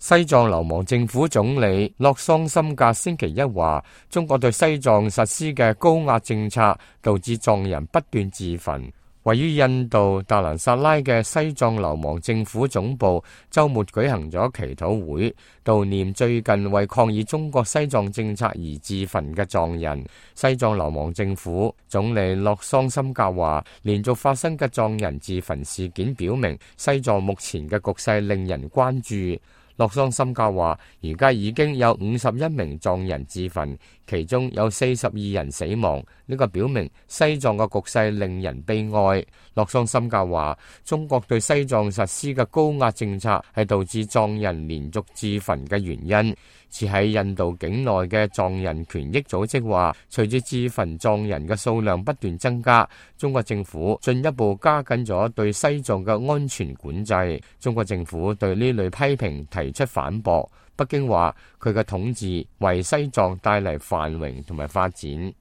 西藏流亡政府總理洛桑森格星期一話，中國對西藏實施嘅高壓政策導致藏人不斷自焚。位於印度達蘭薩拉嘅西藏流亡政府總部週末舉行咗祈禱會，悼念最近為抗議中國西藏政策而自焚嘅藏人。西藏流亡政府總理洛桑森格話，連續發生嘅藏人自焚事件表明，西藏目前嘅局勢令人關注。洛桑森格話，而家已經有51名藏人自焚，其中有42人死亡，呢個表明西藏嘅局勢令人悲哀。洛桑森格話，中國對西藏實施嘅高壓政策係導致藏人連續自焚嘅原因。持喺印度境內嘅藏人權益組織話，隨住自焚藏人嘅數量不斷增加，中國政府進一步加緊咗對西藏嘅安全管制。中國政府對呢類批評提出反駁。北京話佢嘅統治為西藏帶嚟繁榮同埋發展。